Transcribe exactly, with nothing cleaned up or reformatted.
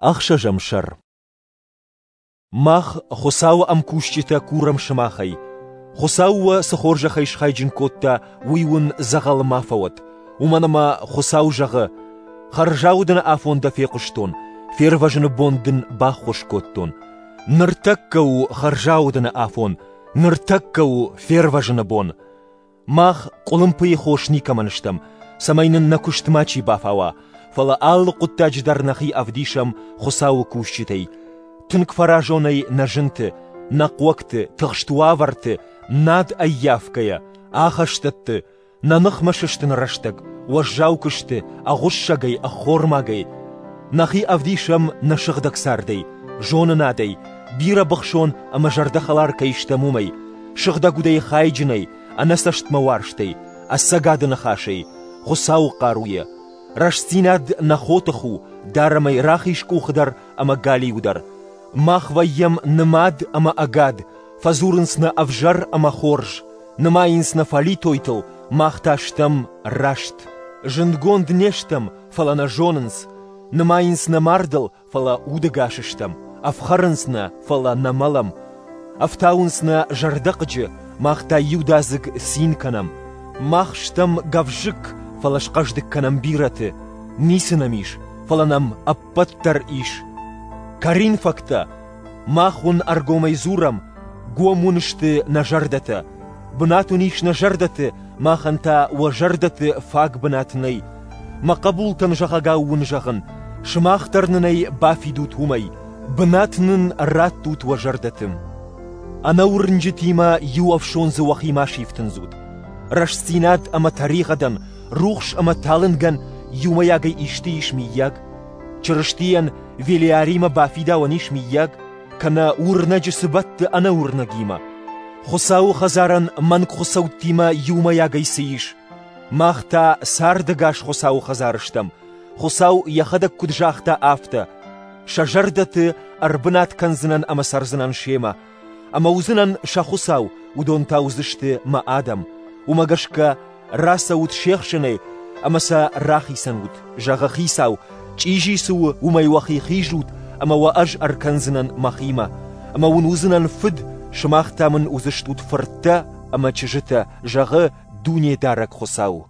Ӕхсӕзӕм сӕр. Мах, Хуыцауы ӕмкусджытӕ, курӕм сымахӕй. Хуыцау уӕ цы хорзӕхӕй схайджын кодта, уый уын дзӕгъӕлы ма фӕуӕд, уымӕн ӕмӕ Хуыцау зӕгъы: «Хӕрзаудӕны афон дӕ фехъуыстон, фервӕзыны бон дын баххуыс кодтон». Ныртӕккӕ у хӕрзаудӕны афон, ныртӕккӕ у фервӕзыны бон. Мах къуылымпыйы хос никӕмӕн стӕм, цӕмӕй нын нӕ куыст мачи бафауа, фӕлӕ алы хъуыддаджы дӕр нӕхи ӕвдисӕм Хуыцауы кусджытӕй. Тынг фӕразонӕй нӕ зынты, нӕ хъуӕгты, тыхст уавӕрты, над ӕййафгӕйӕ, ахӕстӕтты, нӕ ныхмӕ сыстыны рӕстӕг, уӕззау куысты, ӕгъуыссӕгӕй, ӕххормагӕй. Нӕхи ӕвдисӕм нӕ сыгъдӕг цардӕй, зонынадӕй, бирӕ быхсон ӕмӕ зӕрдӕхӕлар кӕй стӕм, уымӕй, сыгъдӕг удӕй хайджынӕй, ӕнӕцӕстмӕ уарзтӕй, ӕцӕгады ныхасӕй, Хуыцауы хъаруйӕ. Рӕстдзинад нӕ хотых у, дарӕм ӕй рахиз къухы дӕр ӕмӕ галиу дӕр. Мах вӕййӕм нымад ӕмӕ ӕгад, фӕдзурынц нӕ ӕвзӕр ӕмӕ хорз, нымайынц нӕ фӕлитойтыл, мах та стӕм раст. Зындгонд не стӕм, фӕлӕ нӕ зонынц. Нымайынц нӕ мардыл, фӕлӕ удӕгас стӕм. Ӕфхӕрынц нӕ, фӕлӕ нӕ мӕлӕм. Ӕфтауынц нӕ зӕрдӕхъыджы, мах та иудадзыг цин кӕнӕм. Мах стӕм гӕвзыкк, фӕлӕ схъӕздыг кӕнӕм бирӕты. Ницы нӕм ис, фӕлӕ нӕм ӕппӕт дӕр ис. Коринфӕгтӕ, мах уын ӕргомӕй дзурӕм, гом уын сты нӕ зӕрдӕтӕ. Бынат уын ис нӕ зӕрдӕты, махӕн та уӕ зӕрдӕты фаг бынат нӕй. Мӕ хъӕбултӕн зӕгъӕгау уын зӕгъын, сымах дӕр нын ӕй бафидут уымӕй, бынат нын раттут уӕ зӕрдӕты. Ӕнӕуырнджытимӕ иу ӕфсондзы уӕхи ма сифтындзут. Рӕстдзинад ӕмӕ тӕригъӕдӕн, рухс ӕмӕ талынгӕн иумӕйагӕй исты ис миййаг? Чырыстийӕн Велиаримӕ бафидауӕн ис миййаг, кӕнӕ уырнӕджы цы бӕтты ӕнӕуырнӕгимӕ? Хуыцауы хӕдзарӕн мӕнгхуыцӕуттимӕ иумӕйагӕй цы ис? Мах та цардӕгас Хуыцауы хӕдзар стӕм. Хуыцау йӕхӕдӕг куыд загъта, афтӕ: «Сӕ зӕрдӕты ӕрбынат кӕндзынӕн ӕмӕ цӕрдзынӕн семӕ. Ӕмӕ уыдзынӕн сӕ Хуыцау, уыдон та уыдзысты мӕ адӕм. Уымӕ гӕсгӕ рацӕут се хсӕнӕй ӕмӕ сӕ рахицӕн ут, зӕгъы Хицау, чъизи цы у, уымӕй уӕхи хизут, ӕмӕ уӕ ӕз ӕркӕндзынӕн мӕхимӕ. Ӕмӕ уын уыдзынӕн фыд, сымах та мын уыдзыстут фырттӕ ӕмӕ чызджытӕ, зӕгъы Дунедарӕг Хуыцау.